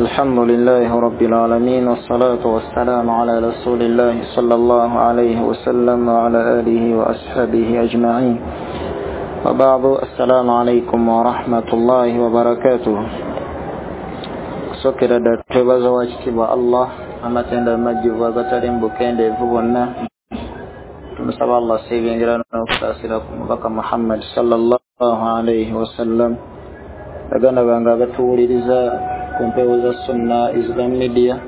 الحمد لله رب العالمين، والصلاة والسلام على رسول الله صلى الله عليه وسلم وعلى آله وأصحابه أجمعين، وبعد. السلام عليكم ورحمة الله وبركاته. Kusokera ddala twebaza wakitiibwa Allah amatendo amajjuvu agatali mu bukendeevu bwonna. Tumusaba Allah sebyengera n'okusaasira ku mubaka Muhammad sallallahu alaihi wasallam. Baganda bange abatuwuliriza ku mpewo za Sunna Islam Media,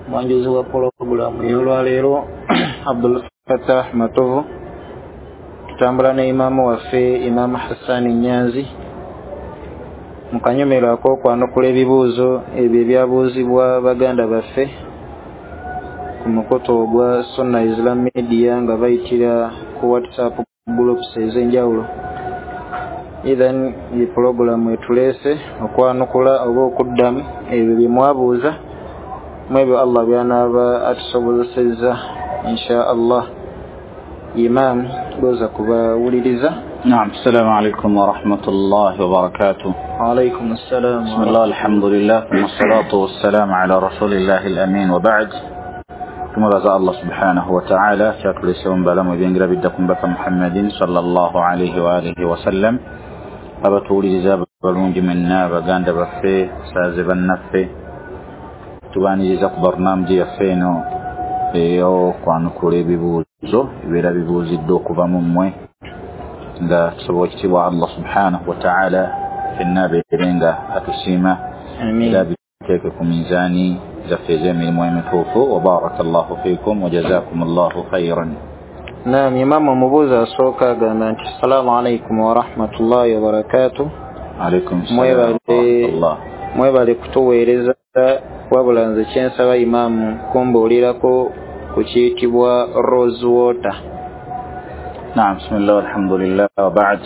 mwanjuzi wa pulogulaamu y'olwaleero Abdul Fattah Matovu, tutambula ne imaamu waffe Imaamu Hassan Nyanzi mu kanyomero ak'okwanukula ebibuuzo ebyo ebyabuuzibwa baganda baffe ku mukutu ogwa Sunna Islam Media nga bayitira ku WhatsApp groups ez'enjawulo. Ithan ye pulogulaamu etuleese okwanukula oba okuddamu ebyo bye mwabuuza mu ebyo Allah by'anaaba atusobozesezza insha Allah. Imam goza kubawuliriza. نعم، السلام عليكم ورحمة الله وبركاته. وعليكم السلام. بسم الله، الحمد لله، ثم الصلاة والسلام على رسول الله الأمين، وبعد. ثم رزق الله سبحانه وتعالى شاكل سوم بلام وبينجر بدكم بك محمد صلى الله عليه وآله وسلم. abatuwuliriza balungi mwenna, baganda baffe, saaze bannaffe, tubaniriza ku barnaamiji yaffe eno ey'okwanukula ebibuuzo ebibeera bibuuziddwa okuva mu mmwe, nga tusobola ekitiibwa Allah subhanahu wa ta'ala fenna abeere nga atusiima era biteeke ku minzaani zaffe ez'emirimu emituufu. Wa baraka llahu fiikum wa jazakum llahu khairan. Naam, imamu omubuuzi asooka agamba nti assalamu alaikum warahmatullahi wabarakatuh. Alaikum salaam warahmatullah. Mwebale kutuweereza, wabula nze kyensaba imaamu kumbuulirako ku kiyitibwa rose water. Naam, bismillah, alhamdulillah, wa ba'd.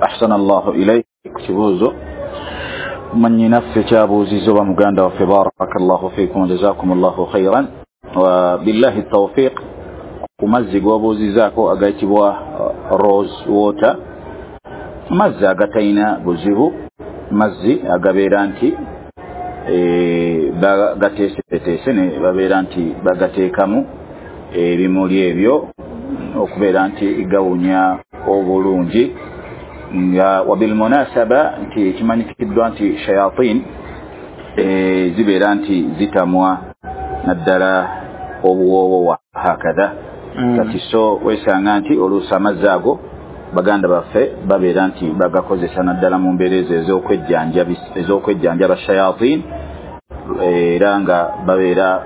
Ahsana Allahu ilayk. Kibuuzo mwannyinaffe kyabuuzizza oba muganda waffe, barakallahu fiikum wa jazakumullahu khairan wa billahi tawfiq. Ku mazzi g'obuuzizaako agayitibwa rose water, mazzi agatalina buzibu, mazzi agabeera nti bagateeseteese ne babeera nti bagateekamu ebimuli ebyo okubeera nti gawunya obulungi. Nga wabilmunasaba nti kimanyikiddwa nti shayatin zibeera nti zitamwa naddala obuwoowo wa hakadha. Kati so wesanga nti oluusi amazzi ago baganda baffe babeera nti bagakozesa naddala mu mbeera ezo ez'okwejjanjaba shayatin, era nga babeera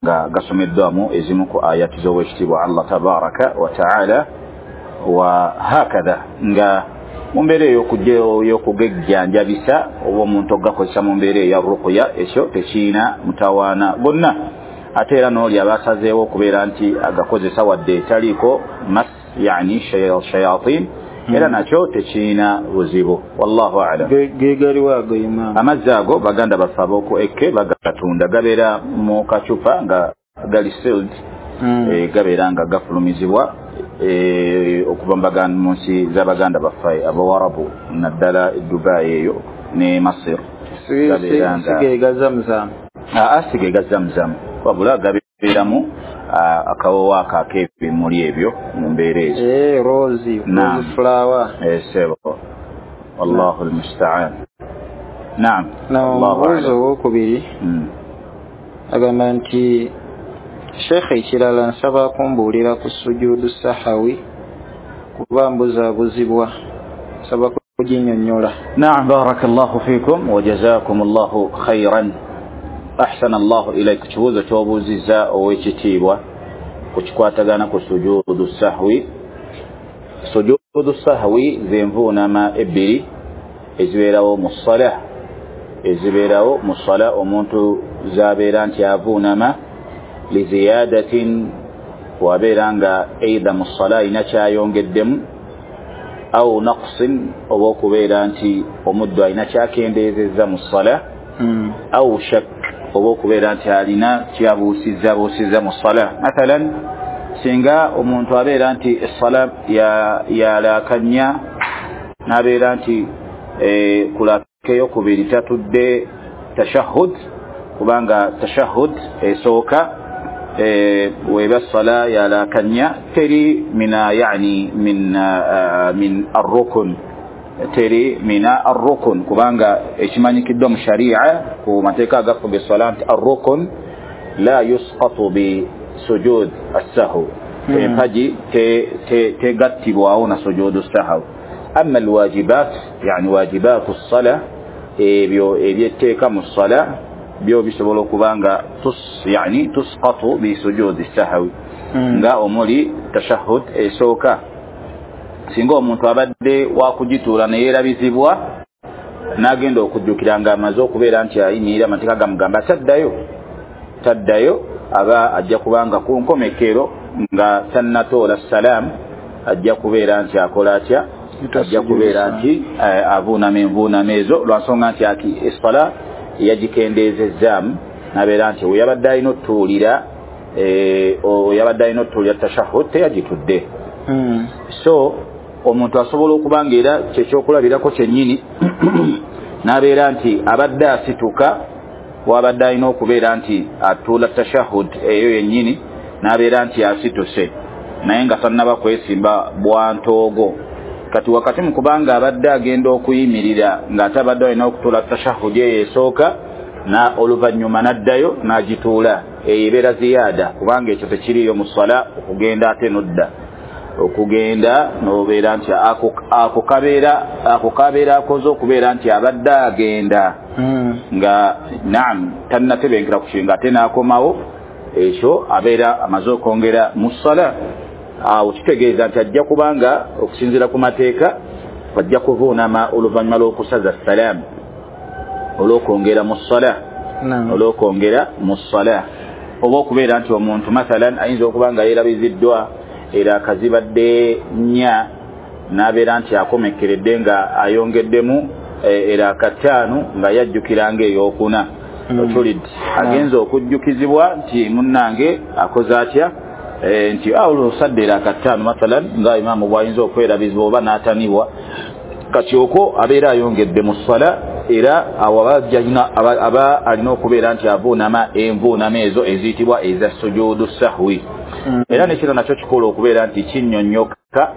nga gasomeddwamu ezimu ku ayati z'owekitiibwa Allah tabaraka wa taala wa hakadha. Nga mu mbeera ey'okugejjanjabisa oba omuntu ogakozesa mu mbeera eya ruqya, ekyo tekiina mutawaana gonna. Ate era n'oli aba asazeewo okubeera nti agakozesa wadde etaliiko mas, yani shayatin, era nakyo tekiina buzibu. Wallahu a'lam. Gegaliwo ago imaamu? Amazzi ago baganda baffe ab'oku Eke bagatunda, gabeera mu kacupa nga gali sealed, gabeera nga gafulumizibwa okuva mu nsi z'abaganda baffe abawarabu, naddala Dubai eyo ne Masir. Sigega zamzam? Sigega zamzam, wabula gabeeramu akawoowo ako ak'ebimuli ebyo mu mbeera ezo. Rose flower. Sebo, wallahu almusta'an. Naam. Omubuuzi owokubiri agamba nti sheekhe, ekirala nsaba kumbuulira ku sujuudu sahawi kuba mbuzaabuzibwa, nsaba kuginnyonnyola. Naam, barakallahu fiikum wa jazakum llahu khairan. Ahsana Allahu ilayk. Kibuuzo ky'obuuzizza ow'ekitiibwa ku kikwatagana ku sujuudu sahwi. Sujuudu sahwi zenvuunama ebbiri ezibeerawo mu ssala, ezibeerawo mu ssala omuntu z'abeera nti avuunama liziyadatin, wabeera nga eitha mu ssala alina kyayongeddemu, au naqsin, oba okubeera nti omuddu alina kyakendeezezza mu ssala, au shak, oba okubeera nti alina kyabuusizza mu ssala. Mathalan, singa omuntu abeera nti essala yalakanya n'abeera nti kulaka eyokubiri tatudde tashahhud, kubanga tashahhud esooka weba sala yalakanya teri mina yani min arrukun, teri mina arrukun, kubanga ekimanyikiddwa mu sharia ku mateeka agafuga essala nti arrukun la yusqatu bi sujud as-sahw, empagi tegattibwawo na sujudu sahw. Amma alwajibat yani wajibatu as-sala, ebyo ebyetteeka mu ssala byo bisobola okuba nga yani tusqatu bi sujudi sahwi, nga omuli tashahhud esooka. Singa omuntu abadde wakugituula ne yeerabizibwa n'agenda okujjukira nga amaze okubeera nti ayimirira, amateeka gamugamba taddayo, aba ajja kubanga ku nkomekero nga tannatoola salaamu ajja kubeera nti akola atya, ajja kubeera nti avuunama envuunama ezo, lwa nsonga nti essala yagikendeezezzaamu n'abeera nti we yabadde alina otutuulira yabadde alina otutuulira tashahhud teyagitudde. So omuntu asobola okuba nga era kyekyokulabirako kyennyini n'abeera nti abadde asituka wabadde alina okubeera nti atuula tashahhud eyo yennyini n'abeera nti asituse naye nga tannaba kwesimba bwantoogo. Kati wakati mu kubanga abadde agenda okuyimirira ng'ate abadde alina okutuula tashahhud eyo esooka, na oluvannyuma n'addayo n'agituula, eyo ebeera ziyaada, kubanga ekyo tekiriiyo mu ssala okugenda ate n'odda okugenda n'obeera nti ako kabeera akoze okubeera nti abadde agenda nga naam tannatebenkera ku kinga ate n'akomawo, ekyo abeera amaze okwongera mu ssala. Awo kitegeeza nti ajja kubanga okusinziira ku mateeka ajja kuvuunama oluvannyuma lw'okusaza salaamu olw'okwongera mu ssala, olw'okwongera mu ssala. Oba okubeera nti omuntu mathalan ayinza okuba nga yeerabiziddwa era akazibadde nnya n'abeera nti akomekkeredde nga ayongeddemu era akataano nga yajjukira ng'eyokuna. Otulidde agenza okujjukizibwa nti munnange akoze atya, nti olusadde era akataano mathalan nga imaamu bw'ayinza okwerabizibwa oba n'atanibwa, kati okwo abeera ayongedde mu ssala, era awo aba alina okubeera nti avuunama envuunama ezo eziyitibwa eza sujudu sahwi. Era nekino nakyo kikola okubeera nti kinnyonnyoka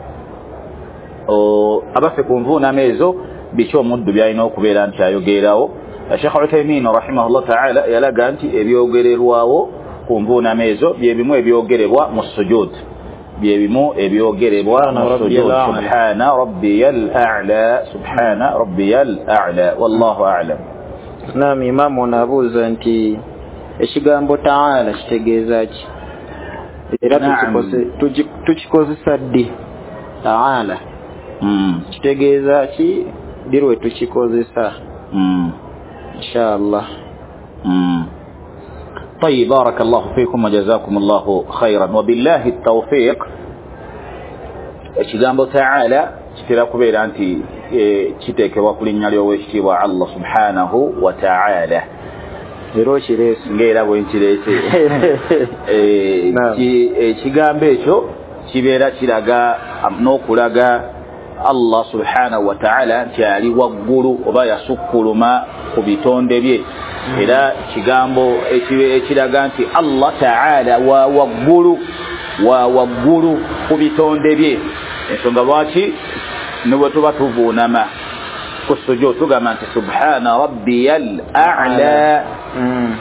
abaffe ku nvuunama ezo biki omuddu by'alina okubeera nti ayogererawo. Sheikh Uthaymin rahimahullah ta'ala yalaga nti ebyogererwawo ku nvuunama ezo bye bimu ebyogerebwa mu sujud, bye bimu ebyogerebwa mu sujud. Subhana rabbiyal a'la, subhana rabbiyal a'la, wallahu a'lam. Naam, imamu onaabuuza nti ekigambo ta'ala kitegeeza ki, era tukikozesa ddi? Ta'ala kitegeeza ki, ddi lwe tukikozesa? Inshallah. طيب، بارك الله فيكم وجزاكم الله خيرا وبالله التوفيق. Ekigambo ta'ala kitera kubeera nti kiteekebwa ku linnya ly'owekitiibwa Allah subhanahu wa ta'ala, era okireese ng'era bwe nkireese. Ekigambo ekyo kibeera kiraga n'okulaga Allah subhanahu wa ta'ala nti ali waggulu oba yasukkuluma ku bitonde bye. Era kigambo ekiraga nti Allah ta'ala wa waggulu ku bitonde bye. Ensonga lwaki ne bwe tuba tuvuunama ku sujud tugamba nti subhana rabbiyal a'la,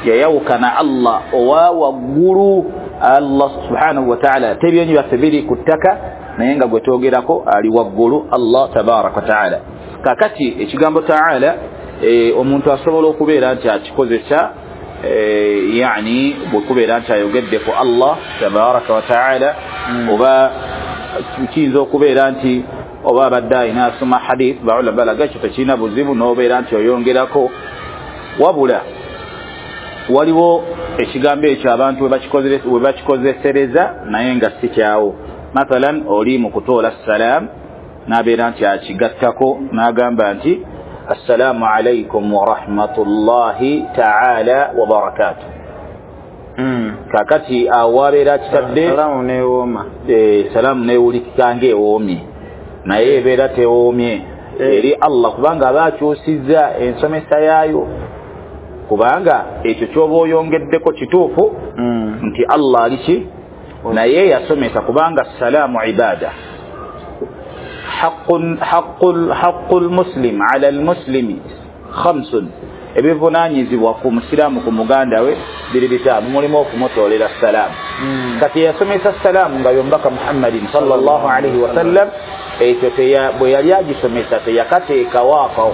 yayawukana Allah owa waggulu. Allah subhanahu wa ta'ala tebyenyi byaffe biri ku ttaka naye nga gwe twogerako ali waggulu Allah tabaraka wa ta'ala. Kakati ekigambo ta'ala omuntu asobola okubeera nti akikozesa yani bwe kubeera nti ayogedde ku Allah tabaraka wa ta'ala, oba kiyinza okubeera nti oba abadde alina asoma hadith baula balaga ekyo tekirina buzibu n'obeera nti oyongerako. Wabula waliwo ekigambo ekyo abantu we bakikozesereza naye nga si kyawo. Mathalan oli mu kutoola salaamu n'abeera nti akigattako n'agamba nti assalamu alaykum wa rahmatullahi ta'ala wa barakatuh. Kakati awo abeera akitadde salaamu neewooma, salaamu neewulikika ng'ewoomye, naye ebeera tewoomye eri Allah, kubanga aba akyusizza ensomesa yaayo. Kubanga ekyo ky'oba oyongeddeko kituufu nti Allah ali ki, naye yasomesa, kubanga salaamu ibada, haqqul muslim ala almuslimi khamsun, ebivunaanyizibwa ku musiraamu ku muganda we biri bitaano, mulimu okumutoolera salaamu. Kati yasomesa salaamu nga y'omubaka Muhammadin sallallahu alaihi wasallam, ekyo bwe yali agisomesa teyakateekawo ako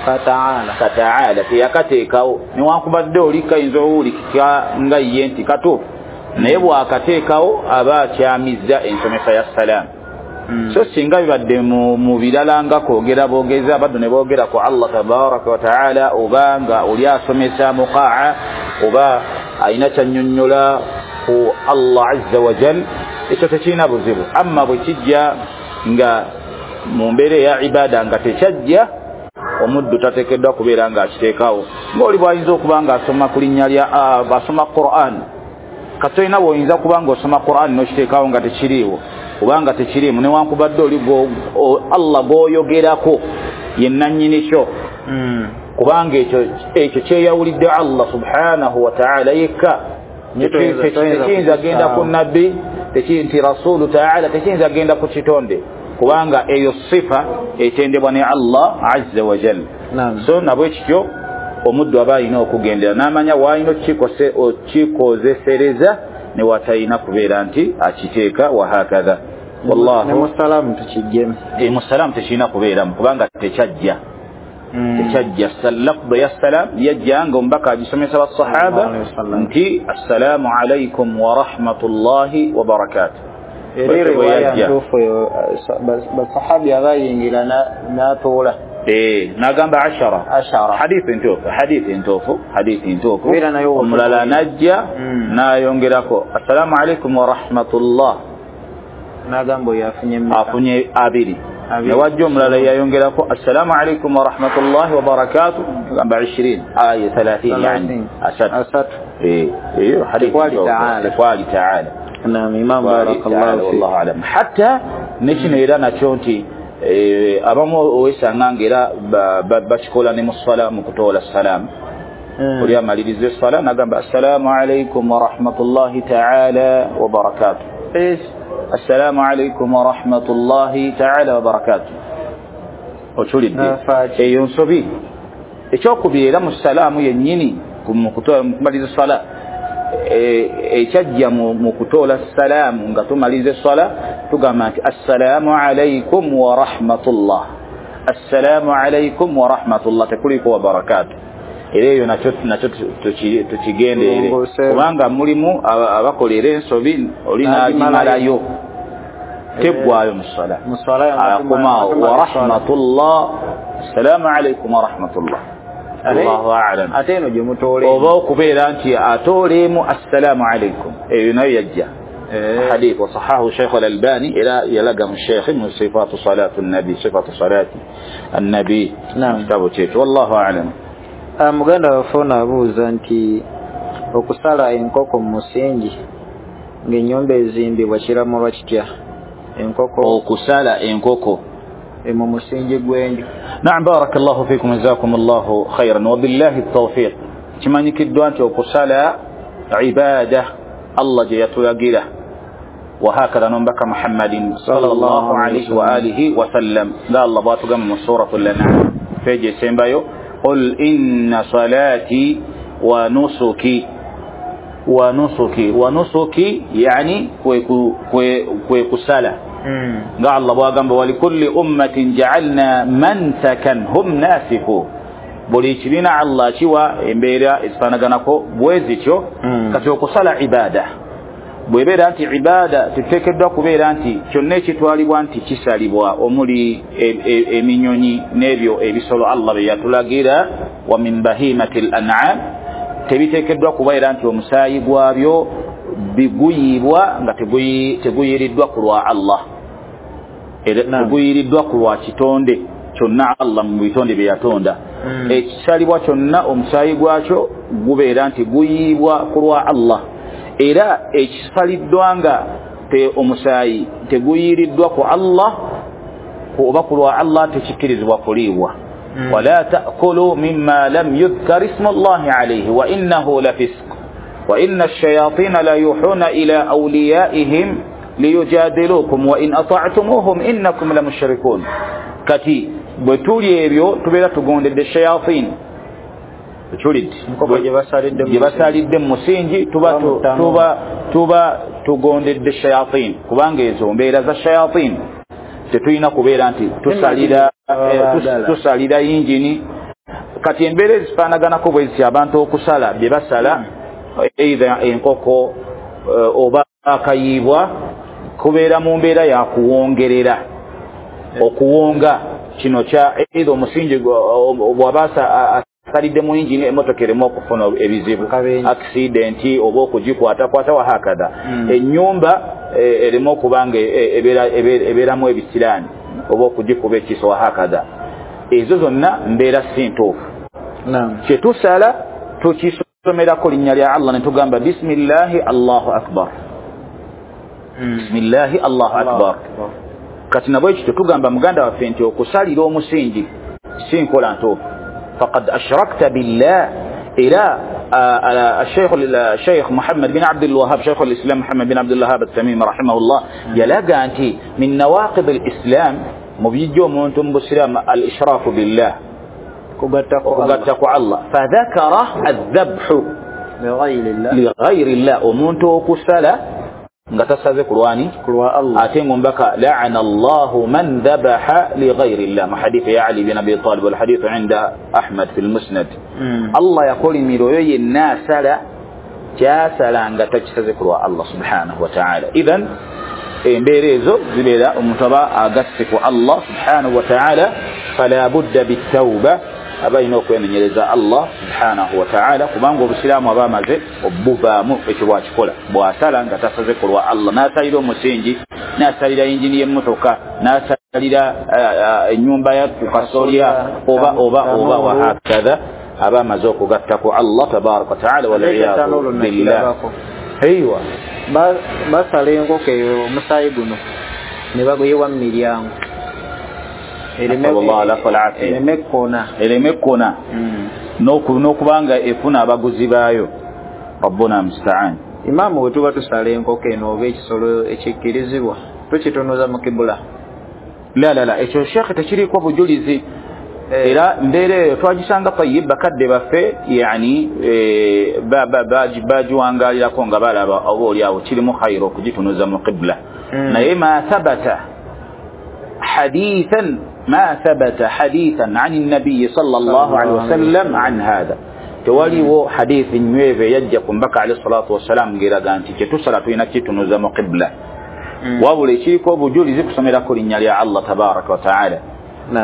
kataala, teyakateekawo. Newankubadde oli kayinza owulikika nga ye nti katuufu, naye bw'akateekawo aba akyamizza ensomesa ya salaamu. So singa bibadde mu birala nga kwogera boogeza, abaddu ne boogera ku Allah tabaraka wa taala, oba nga oli asomesa muqaa, oba alina kyannyonnyola ku Allah azza wa jal, ekyo tekirina buzibu. Amma bwe kijja nga mu mbeera eya ibada nga tekyajja, omuddu tateekeddwa kubeera ng'akiteekawo. Ng'oli bw'ayinza okuba ng'asoma ku linnya lya asoma Qur'an, kati olina bw'oyinza kuba ng'osoma Qur'an n'okiteekawo nga tekiriiwo, kubanga tekiriimu, newankubadde oli Allah gw'oyogerako ye nannyini kyo, kubanga ekyo kyeyawulidde Allah subhanahu wa ta'ala yekka. Tekiyinza genda ku nabbi, nti rasulu ta'ala, tekiyinza genda ku kitonde, kubanga eyo sifa etendebwa ne Allah azza wa jalla. So nabwe kityo omuddu aba alina okugendera n'amanya w'alina okikozesereza ne watalina kubeera nti akiteeka, wahakadha. Wallahu musalamu tukijjemu, musalamu tekirina kubeeramu kubanga tekyajja. Tekyajja. Lafdhu ya salam yajja nga omubaka agisomesa basahaba nti assalaamu alaikum wa rahmatullahi wa barakatuh. Era riwaya ntuufu basahabi abayingira n'atoola n'agamba ashara, hadithi ntuufu, hadithi ntuufu. Omulala n'ajja n'ayongerako assalaamu alaikum wa rahmatullah, n'agamba oyo afunye abiri. Newajja omulala yayongerako assalaamu alaikum wa rahmatullahi wa barakatuh, agamba 20 aya 30, yani asatu. Eyo hadithi tekwali taala. Naam, imam barakallahu fi, wallahu alam. Hatta nekino era nakyo nti abamu owesanga ng'era bakikola ne mu ssala mu kutoola salaamu. Oli amaliriza essala n'agamba assalaamu alaikum wa rahmatullahi taala wa barakatuh, assalaamu alaikum wa rahmatullahi taala wa barakatuh. Okiwulidde? Eyo nsobi. Ekyokubiri era mu salaamu yennyini mu kumaliriza essala, ekyajja mu kutoola salaamu nga tumaliza essala tugamba nti assalaamu alaikum wa rahmatullah, assalaamu alaikum wa rahmatullah, tekuliko wa barakatuh. Era eyo nakyo tukigenderere, kubanga mulimu abakola era ensobi oli n'agimalayo teggwayo mu ssala, akomaawo wa rahmatullah, assalaamu alaikum wa rahmatullah. Allahu a'lam. Ate eno gye mutoolemu oba okubeera nti atoolemu assalaamu alaikum, eyo nayo yajja hadith wa sahahu Sheikh al-Albani, era yalaga mu Sheikh mu sifatu salatu nabi, sifatu salati annabi, kitabu kyekyo. Wallahu a'lam. Muganda waffe ono abuuza nti okusala enkoko mu musingi ng'ennyumba ezimbibwa kiramulwa kitya? Enkoko, okusala enkoko mu musingi gw'enju. Naam, barakallahu fikum, jazakumullahu khairan wa billahi tawfiq. Kimanyikiddwa nti okusala ibada Allah gye yatulagira, wahakadha n'omubaka Muhammadin sallallahu alaihi wa alihi wa sallam, nga Allah bw'atugamba mu suratul An'am peegi esembayo, qul inna salati wa nusuki, wa nusuki, wa nusuki yani kwe kusala. Nga Allah bw'agamba walikulli ummatin ja'alna mansakan hum nasiku, buli kibiina Allah kiwa embeera ezifaanaganako bwe zityo. Kati okusala ibada bw'ebeera nti ibada tetuteekeddwa kubeera nti kyonna ekitwalibwa nti kisalibwa, omuli eminyonyi n'ebyo ebisolo Allah bye yatulagira, wa min bahimati l-an'am, tebiteekeddwa kubeera nti omusaayi gwabyo biguyibwa nga teguyiriddwa ku lwa Allah, era teguyiriddwa ku lwa kitonde kyonna Allah mu bitonde bye yatonda. Ekisalibwa kyonna omusaayi gwakyo gubeera nti guyibwa ku lwa Allah, era ekisaliddwa nga omusaayi teguyiriddwa ku Allah oba ku lwa Allah tekikkirizibwa kuliibwa. Wala ta'kulu mimma lam yudhkar ismu Allahi alayhi wa innahu lafisq wa inna ash-shayatina la yuhuna ila awliyaihim liyujadilukum wa in ata'tumuhum innakum lamushrikun. Kati bwe tuli ebyo tubeera tugondedde shayatin, gye basalidde mu musingi, tuba tugondedde shayatin, kubanga ezo mbeera za shayatin. Tetulina kubeera nti tusalira yingini. Kati embeera ezifaanaganako bwe ziti, abantu okusala bye basala either enkoko oba akayiibwa, kubeera mu mbeera ya kuwongerera, okuwonga kino kya either omusingi bw'aba asalidde mu yingini emmotoka ereme okufuna ebizibu, accident oba okugikwatakwata wahakadha, ennyumba ereme okuba nga ebeeramu ebisiraani oba okugikuba ekiso wahakadha. Ezo zonna mbeera si ntuufu. Kye tusala tukisomerako linnya lya Allah ne tugamba bismillahi Allahu akbar, bismillahi Allahu akbar. Kati nabwe kityo tugamba muganda waffe nti okusalira omusingi si nkola ntuufu. Faqad ashrakta billah. Era Sheikh Muhammad bin Abdul Wahhab, Sheikh al-Islam Muhammad bin Abdul Wahhab at-Tamimi rahimahullah, yalaga nti min nawaqid al-Islam, mu bijja omuntu mu busiraamu al-ishraku billah, okugatta ku Allah. Fadhakara adh-dhabhu li ghayri llah, omuntu okusala nga tasaze ku lwani, ate ng'omubaka la'ana Allahu man dhabaha li ghayri llah, mu hadithi ya Ali bin Abi Talib wal hadithu inda Ahmad fi al-Musnad. Allah yakolimira oyo yenna asala kyasala nga takisaze ku lwa Allah subhanahu wa ta'ala. Idhan embeera ezo zibeera omuntu aba agasse ku Allah subhanahu wa ta'ala, fala budda bitawba, aba alina okwemenyereza Allah subhanahu wa ta'ala, kubanga obusiraamu aba amaze obuvaamu ekyo bwakikola. Bw'asala nga tasaze ku lwa Allah, n'asalira omusingi, n'asalira yingini y'emmotoka, n'asalira ennyumba ya ku kasolya oba oba oba wahakadha, aba amaze okugatta ku Allah tabaraka wa ta'ala, waliyadu billah. Eywa basala enkoko eyo omusaayi guno ne baguyiwa mu miryango ereme ekkona n'okubanga efuna abaguzi baayo. Rabbuna musta'an. Imaamu bwe tuba tusala enkoko eno oba ekisolo ekikkirizibwa tukitunuza mu kibula? La la la, ekyo shekhe tekiriiko bujulizi. Era mbeera eyo twagisanga tayib bakadde baffe, yani bagiwangaalirako nga balaba oba oli awo kirimu khayira okugitunuza mu qibla. Naye ma thabata hadithan, ma thabata hadithan an nabiyi sallallahu alaihi wasallam an hadha, tewaliwo hadithi nywevu eyajja ku mbaka alayhi salatu wassalam ng'eraga nti kyetusala tulina kitunuza mu qibla. Wabula ekiriko obujulizi kusomerako linnya lya Allah tabaraka wa taala.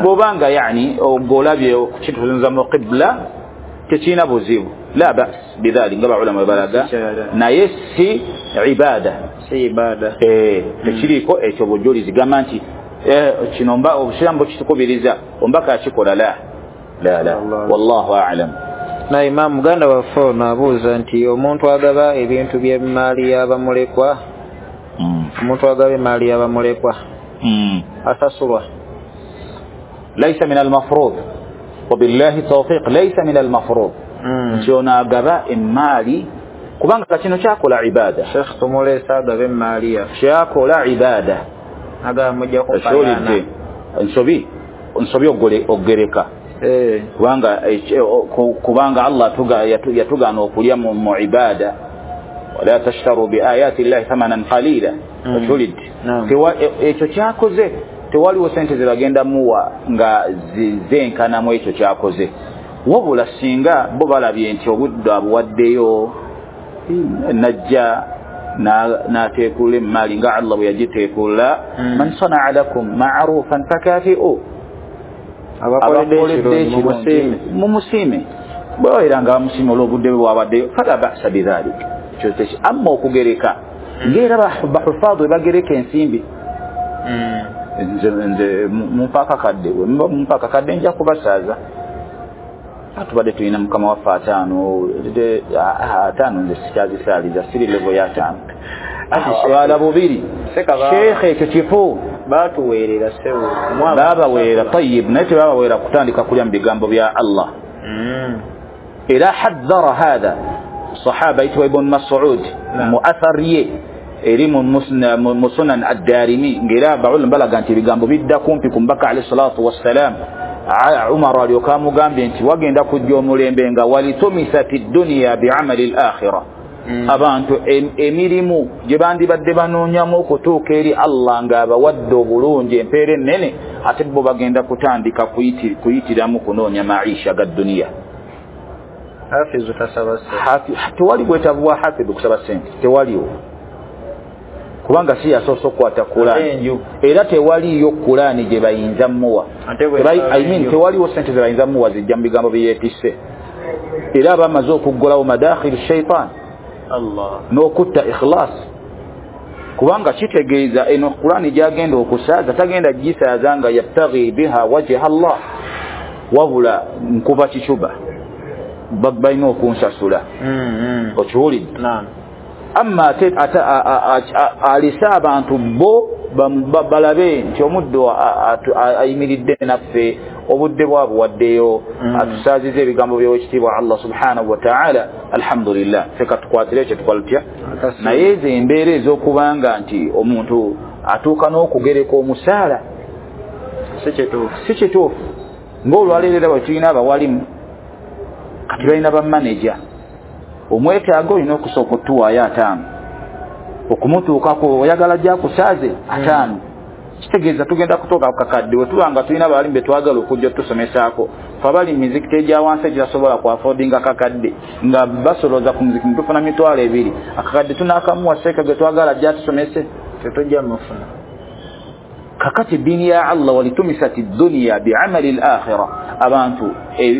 Bw'obanga yani ogolabye okukitunuza mu qibla tekirina buzibu, la bas bidhalik, nga baulama balaga, naye si ibada, si ibada. Tekiriko ekyo bujulizi gamba nti kino obusiraamu bukitukubiriza ombaka akikola, la la la, wallahu a'lam. Na imaamu muganda waffe ono abuuza nti omuntu agaba ebintu by'emmaali y'abamulekwa, omuntu agaba emmaali y'abamulekwa asasulwa? Laysa min al-mafrud, wabillahi tawfiq, laysa min al-mafrud nti ono agaba emmaali, kubanga kino kyakola ibada. Sheikh tumuleese agaba emmaali yaffe, kyakola ibada, agaba mujja kufaanana nsobi ogereka, kubanga Allah yatugaana okulya mu ibada, wala tashtaru bi ayati llahi thamanan qalila. Okiwulidde? Ekyo kyakoze tewaliwo sente ze bagenda muwa nga zenkanamu ekyo kyakoze. Wabula singa bo balabye nti obudde abuwaddeyo najja n'ateekula emmaali nga Allah bwe yagiteekula, man sanaa lakum ma'rufan fakafi'u, abakoledde ekirungi mumusiime, bwe nga bamusiime olw'obudde bwe bwabaddeyo, fala ba'sa bidhalik. Amma okugereka ng'era bahufaadhu bagereka ensimbi, nze mumpa akakadde, mumpa akakadde nja kubasaaza, tubadde tulina mukama waffe ataano, ataano nze sikyazisaaliza, siri levo ya ataano, wala bubiri. Sheikh ekyo kifu, Batuweerera ssebo. Babaweerera tayyib, naye tebabaweerera kutandika kulya mu bigambo bya Allah. Era haddhara hadha sahaba yitwa Ibn Mas'ud mu athar ye eri mu Sunan ad-Darimi, ng'era abaulama balaga nti ebigambo bidda kumpi ku Mbaka alayhi salatu wassalam. Umar alyoka amugambye nti wagenda kujja omulembe nga walitumisati dunya bi'amali al-akhirah. Abantu emirimu gye bandibadde banoonyamu okutuuka eri Allah ng'abawadde obulungi empeera ennene, ate bo bagenda kutandika kuyitiramu kunoonya maisha ga duniya. Hafizu tasaba ssente. Tewali bwetaavu bwa hafizu kusaba ssente, tewaliwo, kubanga si yasoose okukwata Kulaani, era tewaliyo Kulaani gye bayinza mmuwa. I mean tewaliwo ssente ze bayinza mmuwa zijja mu bigambo bye yeetisse, era bamaze okuggulawo madakhil shaitan n'okutta ikhlas, kubanga kitegeeza eno Kulaani gy'agenda okusaaza tagenda gisaaza nga yabtaghi biha wajha Allah, wabula nkuba kicuba balina okunsasula. Okiwulidde? Amma alisa abantu bo balabe nti omuddo ayimiridde naffe, obudde bwabwe waddeyo, atusaaziza ebigambo by'owekitiibwa Allah subhanahu wa ta'ala. Alhamdulillah, ffe katukwatire ekyo tukola tutya. Naye ezo embeera ez'okubanga nti omuntu atuuka n'okugereka omusaala si kituufu. Ng'olwaleero era bwe tulina abawalimu kati balina bamaneja, omwetaaga olina okusooka otuwaayo 5 okumutuukako oyagala gyakusaaze 5. Kitegeeza tugenda kutuuka ku kakadde. Bwe tuba nga tulina abalimu be twagala okujja otusomesaako, fe abali mu mizikiti egya wansi egitasobola ku affordinga kakadde, nga basolooza ku muzikiti tufuna 20,000, akakadde tunaakamuwa seeka ge twagala ajja atusomese, tetujja mufuna. Kakati eddiini ya Allah walitumisati dunya bi'amali al-akhirah, abantu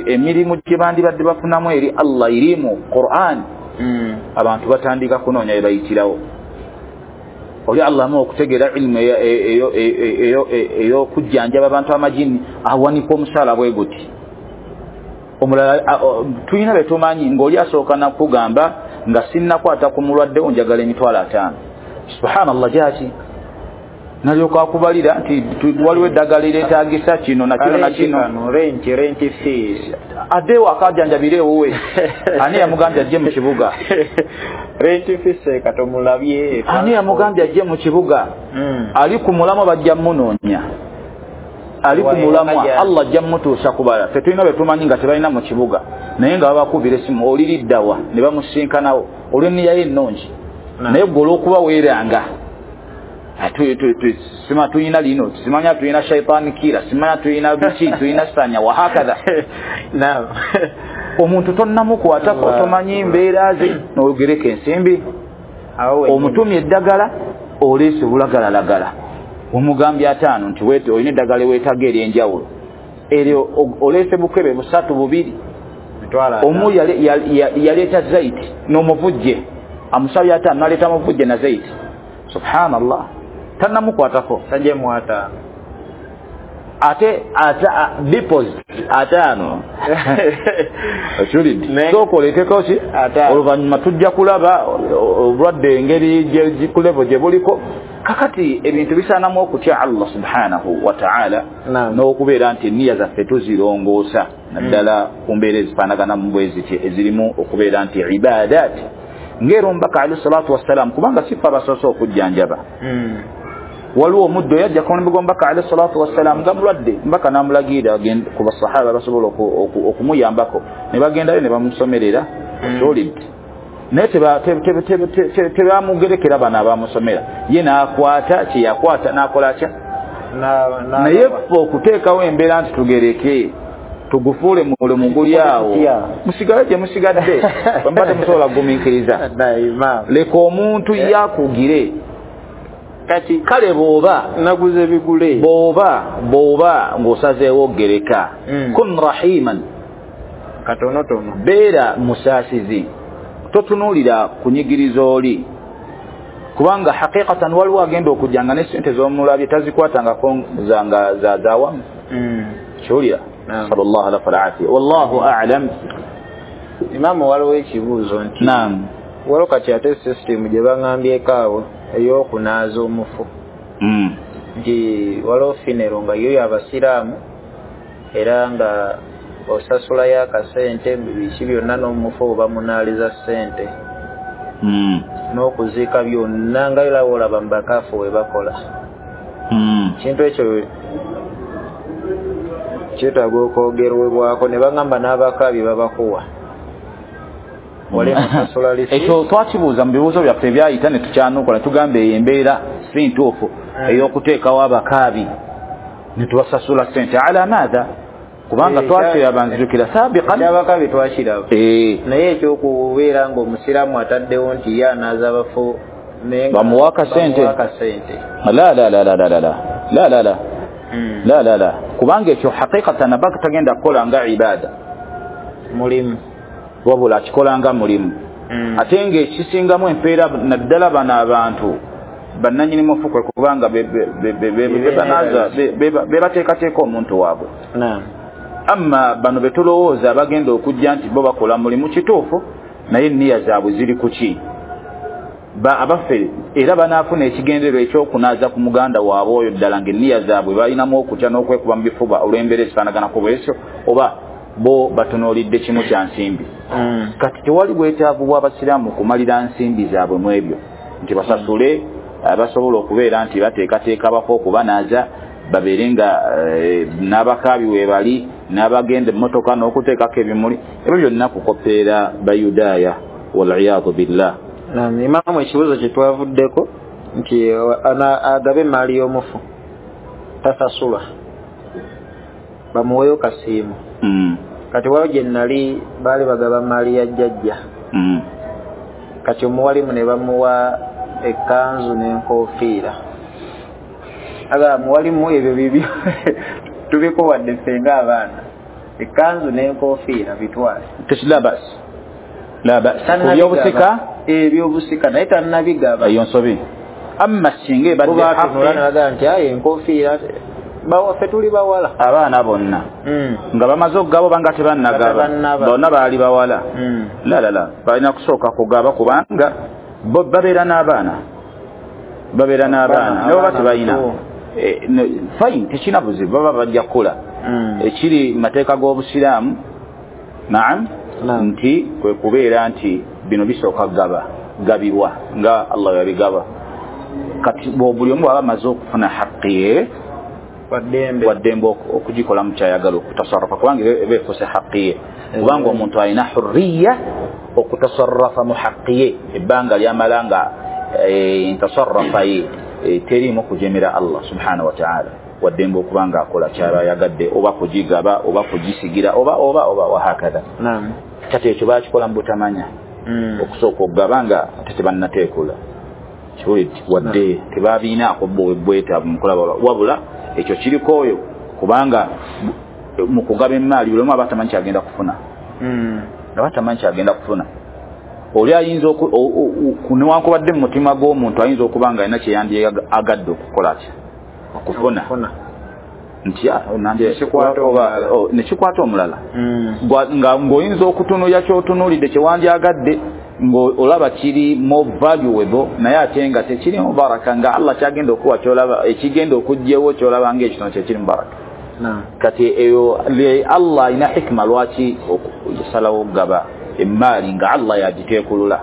emirimu gye bandibadde bafunamu eri Allah irimu Qur'an, abantu batandika kunoonya bye bayitirawo. Oli Allah amuwa okutegeera ilmu ey'okujjanjaba abantu amajini, awanika omusaala bwe guti. Omulala tulina be tumanyi ng'oli asooka nakugamba nga sinnakwata ku mulwadde njagala 50,000. Subhanallah, gyaki nalyoka akubalira nti waliwo eddagala eryetaagisa kino na kino na kino, rent fees, adde ewaka ajjanjabire ewuwe. Ani yamugambye ajje mu kibuga? Rent fees katomulabye. Ani yamugambye ajje mu kibuga? Ali ku mulamwa bajja munoonya, ali ku mulamwa Allah ajja mmutuusa kubala. Ffe tulina be tumanyi nga tebalina mu kibuga, naye nga babakubira essimu oliriddawa ne bamusinkanawo olw'enniya ye ennungi, naye gwe olw'okuba weeranga sima tulina lino, simanya tulina shaitani kira, simanya tulina biki, tulina sanya wahakadha. Omuntu tonnamukwatako, tomanyi mbeera ze, n'ogereka ensimbi, omutumye eddagala oleese bulagalalagala, omugambye 5 nti olina eddagala weetaaga ery'enjawulo, eryo oleese bukebe 3 2, omu yaleeta zaiti n'omuvujje, amusabye 5 n'aleeta muvujje na zaiti. Subhanallah, tannamukwatako tajemu 5 ate deposit 5. Okiwulidde? Sooka oleeteko ki, oluvannyuma tujja kulaba obulwadde engeri ku level gye buliko. Kakati ebintu bisaanamu okutya Allah subhanahu wa ta'ala, n'okubeera nti enniya zaffe tuzirongoosa, naddala ku mbeera ezifaanaganamu bwe ziti ezirimu okubeera nti ibaadaat, ng'era omubaka alayhi salatu wassalam, kubanga si ffe abasoose okujjanjaba. Waliwo omuddo yajja ku mulembe gw'omubaka alayhi salatu wassalam nga mulwadde, omubaka n'amulagira ku basahaba basobola okumuyambako, ne bagendayo ne bamusomerera. Okiwulidde? Naye tebamugerekera bano abamusomera, ye n'akwata kye yakwata n'akola atya. Naye ffe okuteekawo embeera nti tugereke tugufuule mulimu guli awo, musigale gye musigadde, bwemba temusobola kugumiikiriza. Leka omuntu yakugire. Kati kale bw'oba naguze bigule, bw'oba ng'osazeewo gereka, kun rahiman, katonotono, beera musaasizi, totunuulira kunyigiriza oli, kubanga haqiqatan waliwo agenda okujja nga ne ssente z'omulabye tazikwatangako zawamu. Kiwulira? Sallallahu alaihi wa afiya. Wallahu a'lam. Imamu, waliwo ekibuuzo nti naam, waliwo kati ate system gye baŋŋambyeko awo ey'okunaaza omufu. Nti waliwo funeral nga yo y'abasiraamu era nga osasulayo akasente biki byonna n'omufu oba munaaliza ssente n'okuziika byonna nga era olaba mu bakaafu we bakola. Kintu ekyo kyetaaga okwogerwebwako ne bagamba n'abakaabi babakuwa. Ekyo twakibuuza mu bibuuzo byaffe ebyayita ne tukyanukola tugamba eyo embeera si ntuufu ey'okuteekawo abakaabi ne tubasasula ssente ala maatha, kubanga twakiraba nzijukira sabiqan abakaabi twakiraba. Naye ekyokubeera ng'omusiraamu ataddewo nti ye anaaza abafu bamuwa akasente, la la la la la la la la la la la la, kubanga ekyo haqiqatan aba tagenda kukola nga ibada mulimu, wabula akikola nga mulimu. Ate ng'ekisingamu empeera naddala bano abantu bannannyini mufu kwe kubanga bebateekateeka omuntu waabwe. Amma bano betulowooza abagenda okujja nti bo bakola mulimu kituufu, naye enniya zaabwe ziri ku ki? Abaffe era banaafuna ekigendererwa ekyokunaaza ku muganda waabwe oyo ddala ng'enniya zaabwe balinamu okutya n'okwekuba mu bifuba olw'embeera ezifaanaganako bwesyo, oba bo batunuulidde kimu kya nsimbi. Kati tewali bwetaavu bw'abasiraamu kumalira nsimbi zaabwe mu ebyo nti basasule basobola okubeera nti bateekateeka abafu okubanaaza, babeere nga n'abakaabi we bali n'abagenda emmotoka n'okuteekako ebimuli, ebyo byonna kukopeera Bayudaaya waliyadu billah. Imaamu, ekibuuzo kye twavuddeko nti agabe emaali y'omufu tasasulwa, bamuweeyo kasiimu. Kati waliwo gye nali baali bagaba maali ya jjajja, kati omuwalimu ne bamuwa ekkanzu n'enkofiira. Aga muwalimu ebyo bibyo tubikuwadde ffe ng'abaana, ekkanzu n'enkofiira bitwale. La bas, la bas. Ebyobusika ebyobusika naye tannabigaba, eyo nsobi. Amma singa ebadde haqqi nti aye enkofiira bawaffe tuli bawala abaana bonna nga bamaze okugaba oba nga tebannagaba, bonna baali bawala. La la la, balina kusooka kugaba kubanga bo babeera n'abaana, babeera n'abaana ne baba tebalina fine, tekirina buzibu, baba bajja kukula. Ekiri mu mateeka g'obusiraamu naam nti kwe kubeera nti bino bisooka kugaba gabibwa nga Allah yabigaba. Kati buli omu bw'aba amaze okufuna haqqi ye waddembe okugikolamu kyayagala okutasarrafa, kubanga eba efuuse haqqi ye, kubanga omuntu alina hurriya okutasarrafa mu haqqi ye ebbanga lyamala nga ntasarrafa ye teriimu kujemera Allah subhanahu wa ta'ala, waddembe okuba nga akola kyaba ayagadde, oba kugigaba oba kugisigira oba oba oba wahakadha. Kati ekyo bakikola mu butamanya, okusooka okugaba nga ate tebannateekula wadde tebabiinaako bwetaavu mukulaba, wabula ekyo kiriko oyo kubanga mu kugaba emaali buli omu aba tamanyi kyagenda kufuna, aba tamanyi kyagenda kufuna. Oli ayinza newankubadde mu mutima gw'omuntu ayinza okuba nga alina kye yandyagadde okukola ki okufuna, nti nekikwata omulala, ng'oyinza okutunuulira ky'otunuulidde kye wandyagadde ng'olaba kiri more valuable, naye ate nga tekirimu baraka, nga Allah kyagenda okuwa kyolaba ekigenda okuggyewo kyolaba ng'ekitono kyekirimu baraka. Kati eyo Allah alina hikima lwaki okusalawo okugaba emaali nga Allah yagiteekulula,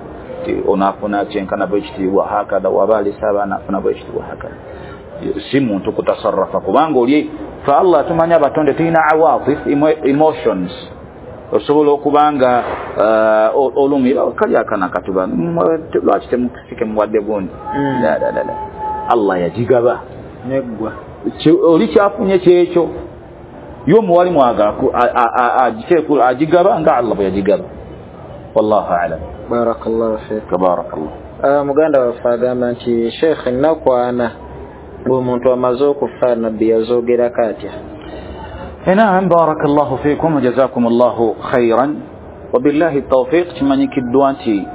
onaafuna kyenkana bwekitiibwa hakadha, waba alese abaana afuna bwekitiibwa hakadha, si muntu kutasarrafa kubanga oli fe Allah tumanya abatonde tulina awatif, emotions, osobola okuba nga olumi kali akana katuba lwaki temusike muwadde gundi, la la la, Allah yagigaba neggwa, oli kyafunye kyekyo yo omuwalimu agiteekula agigaba nga Allah bwe yagigaba. Wallahu a'lam. Barakallahu fiik. Barakallah. Muganda waffe agamba nti Sheikh, ennaku ana ng'omuntu amaze okufa nabbi yazoogerako atya? Naam, barakallahu fiikum wa jazakumullahu khairan wabillahi tawfiq. Kimanyikiddwa nti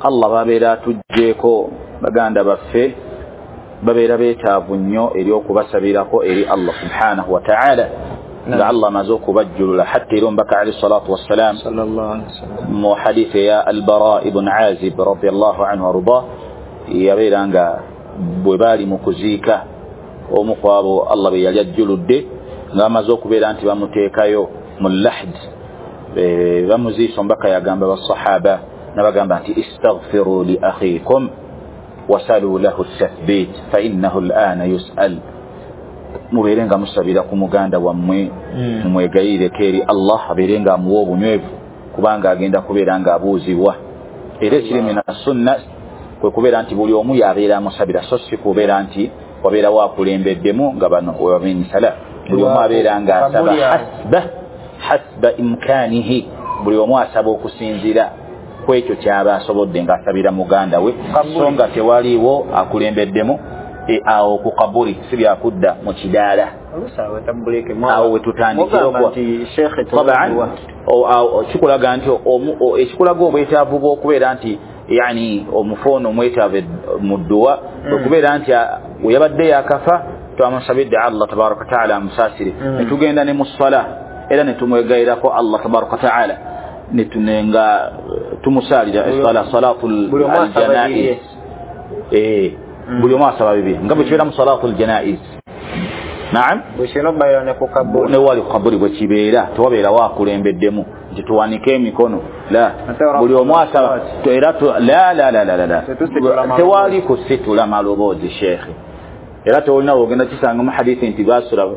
Allah babeera atuggyeko baganda baffe babeera beetaavu nnyo eri okubasabirako eri Allah subhanahu wa ta'ala, nga Allah amaze okubajjulula. Hatta era omubaka alayhi salatu wassalam mu hadithi ya Albara ibn Azib radiyallahu anhu wardah, yabeera nga bwe baali mu kuziika Omu ku abo Allah be yali ajjuludde ng'amaze okubeera nti bamuteekayo mu lahd, bamuziisa. Omubaka yagamba basahaba nabagamba nti istaghfiru li akhikum wasalu lahu tathbit fa innahu al'ana yus'al, mubeere nga musabira ku muganda wammwe, mumwegayireko eri Allah abeere nga amuwa obunywevu, kubanga agenda kubeera nga abuuzibwa. Era ekiri mina sunna kwe kubeera nti buli omu yabeera amusabira, so si kubeera nti wabeerawo akulembeddemu nga bano webamenyisala. Buli omu abeera nga asaba hasba imkanihi, buli omu asaba okusinziira ku ekyo kyaba asobodde ng'asabira muganda we, so nga tewaliiwo akulembeddemu. Awo ku kaburi si byakudda mu kidaala, awo wetutandikira kikulaga nti ekikulaga obwetaavu bw'okubeera nti yani omufu ono omwetaavu mu dduwa, okubeera nti weyabadde yakafa twamusabidde Allah tabaraka wataala amusaasire, netugenda ne mu ssala era netumwegayirako Allah tabaraka wataala, nga tumusaalira essala salatul aljanaiz, buli omu asaba bibiri nga bwe kibeera mu salatul janaiz. Naam, newali ku kaburi bwe kibeera tewabeerawo akulembeddemu nti tuwanike emikono, la, buli omu asaba era la la la la la, tewali kusitula maloboozi sheekhe. Era tewolina wogenda kisanga mu hadithi nti basula,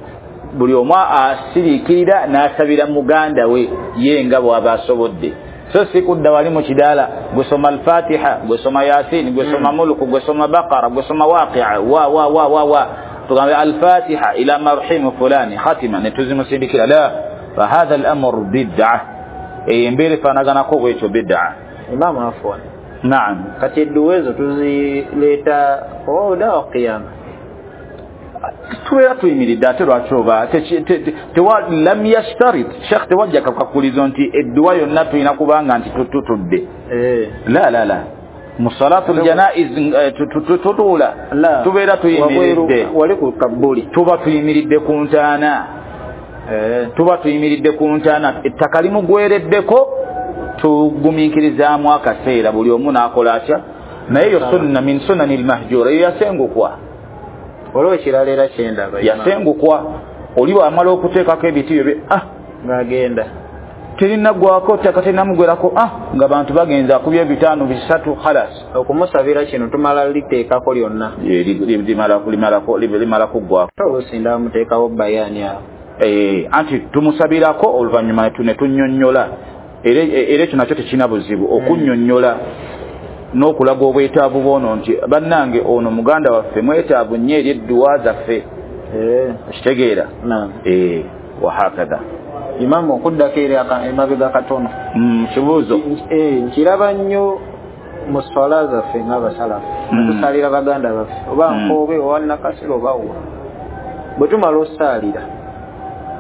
buli omu asiriikirira n'asabira muganda we ye nga bw'aba asobodde, so si kudda wali mu kidaala gwesoma alfatiha, gwesoma yasin, gwesoma muluku, gwesoma bakara, gwesoma waqia wa wa wa wa wa, tugambe alfatiha ila marhimu fulani khatima netuzimusindikira. La, fahadha al-amr bid'a, embeera efaanaganako bwekyo bid'a. Imamu afwan, naam, kati edduwa ezo tuzireeta oda wa qiyama, tubeera tuyimiridde ate lwaki oba lam yashtarit sheekh tewajja kakulizo nti edduwa yonna tulina kubanga nti tutudde. La la la, mu salatul janaiz tutuula, tubeera tuyimiridde wali ku kabuli, tuba tuyimiridde ku ntaana, tuba tuyimiridde ku ntaana, ettaka limugwereddeko tugumiikirizaamu akaseera buli omu n'akola atya. Naye eyo sunna min sunani lmahjura, eyo yasengukwa. Waliwo ekirala era kyendaba, yasengukwa oli bwamala okuteekako ebiti byo ng'agenda terinaggwako ttaka terinamugwerako, nga bantu bagenza akubye 5 3 khalas. Okumusabira kino tumala liteekako lyonna, limala kuggwako, oluusi ndamuteekawo bayaani awo, anti tumusabirako oluvannyuma ne tunnyonnyola. Era ekyo nakyo tekirina buzibu okunnyonnyola n'okulaga obwetaavu bw'ono nti bannange ono muganda waffe mwetaavu nnyo eri edduwa zaffe, okitegeera? Wahakadha. Imamu, okuddako eri emabega katono, kibuuzo nkiraba nnyo mu swala zaffe ng'abasalafu tusalira baganda baffe oba Nkobe oba Nakasero oba wa, bwe tumala osaalira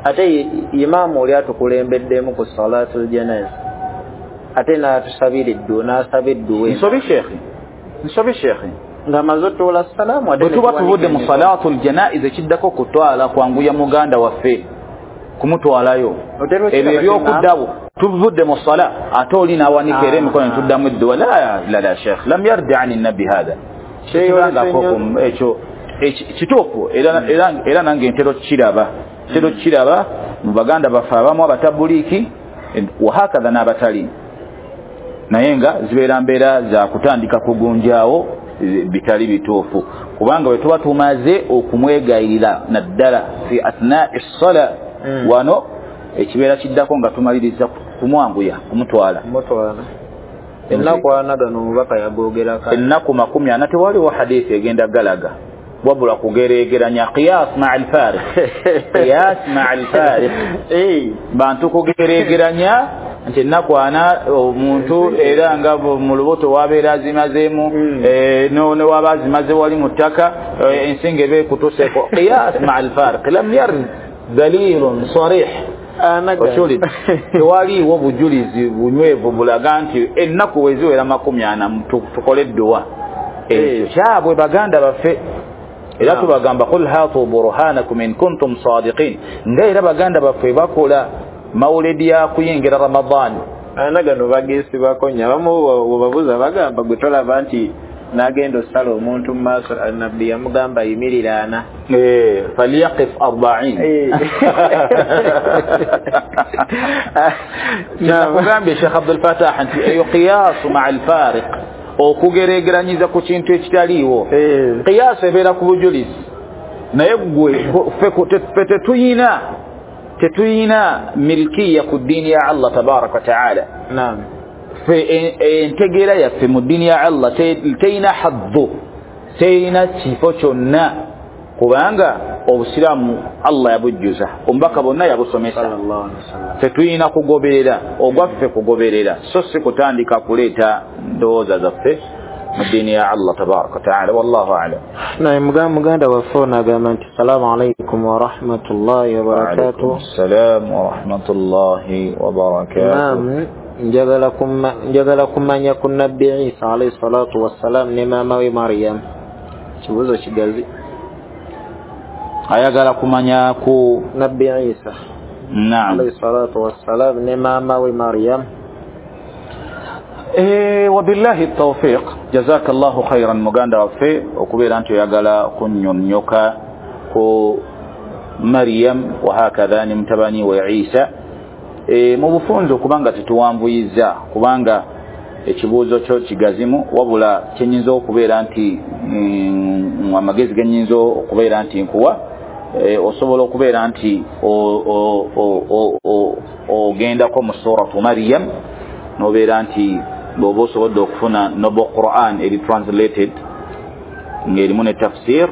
ate imaamu oli atukulembeddemu ku salatul janaza ate n'atusabira edduwa, n'asaba edduwa. Nsobi sheekhe, nsobi sheekhe, ng'amaze otoola salaamu bwe tuba tuvudde mu salatul janaiz ekiddako kutwala kwanguya muganda waffe kumutwalayo, ebyo ebyokuddawo tuvudde mu sala ate oli n'awanika era emikono netuddamu edduwa. La la la sheekh, lam yardi ani nabbi hatha, tekibangako ekyo kituufu. Era nange ntera okukiraba, ntera okukiraba mu baganda baffe abamu abatabuliiki wahakadha n'abatali, naye nga zibeera mbeera za kutandika kugunjaawo bitali bituufu, kubanga bwe tuba tumaze okumwegayirira naddala fi athnai ssala, wano ekibeera kiddako nga tumaliriza kumwanguya kumutwala. Ennaku 40 gano omubaka yagogerako, ennaku 40 tewaliwo hadithi egenda galaga, wabula kugeregeranya qiyas maa alfariq, qiyas maa alfariq, bantu kugeregeranya nti ennaku 40 omuntu era nga mu lubuto wabeera azimazeemu, newaba azimaze wali mu ttaka ensinga eba ekutuseeko. Qiyas maa alfariq lam yarid dalilun sarih, tewaliiwo bujulizi bunywevu bulaga nti ennaku weziwera 40 tukole edduwa. Ekyo kyabwe baganda baffe. Era tubagamba qul hatu burhanakum in kuntum sadiqin, nga era baganda baffe bakola mawulidi ya kuyingira Ramadhan. Ana gano bagesibako nnyo, abamu webabuuza bagamba gwe tolaba nti N'agenda osala omuntu mu maaso, nabbi yamugamba yimiriraana. Falyaqif 40. Nakugambye Sheikh Abdul Fatah nti eyo qiyaasu maa alfariq, okugeregeranyiza ku kintu ekitaliiwo. Qiyaasu ebeera ku bujulizi, naye gwe ffe tetuyina milkiya ku ddiini ya Allah tabaraka wa taala. Ffe entegeera yaffe mu ddiini ya Allah teyina haddu, teyina kifo kyonna, kubanga obusiraamu Allah yabujjuza, omubaka bonna yabusomesa. Tetuyina kugoberera ogwaffe kugoberera, so si kutandika kuleeta ndowooza zaffe mu ddiini ya Allah tabaraka wa taala. Wallahu a'lam. Naye muganda waffe ono agamba nti assalamu alaikum warahmatullahi wabarakatuh. Assalamu warahmatullahi wabarakatuh. Naam, njagala kumanya ku Nabbi Isa alayhi salatu wassalam ne maama we Mariam. Kibuuzo kigazi. Ayagala kumanya ku Nabbi Isa naam alayhi salatu wassalam ne maama we Mariam. Wabillahi tawfiq. Jazakallahu khairan muganda waffe okubeera nti oyagala kunnyonnyoka ku Mariam wahakadha ne mutabani we Isa. Mu bufunze okubanga tetuwanvuyiza, kubanga ekibuuzo kyo kigazimu, wabula kyenyinza okubeera nti amagezi genyinza okubeera nti nkuwa, osobola okubeera nti ogendako mu suratu Mariam nobeera nti bw'oba osobodde okufuna noble Quran eri translated ng'erimu ne tafsir,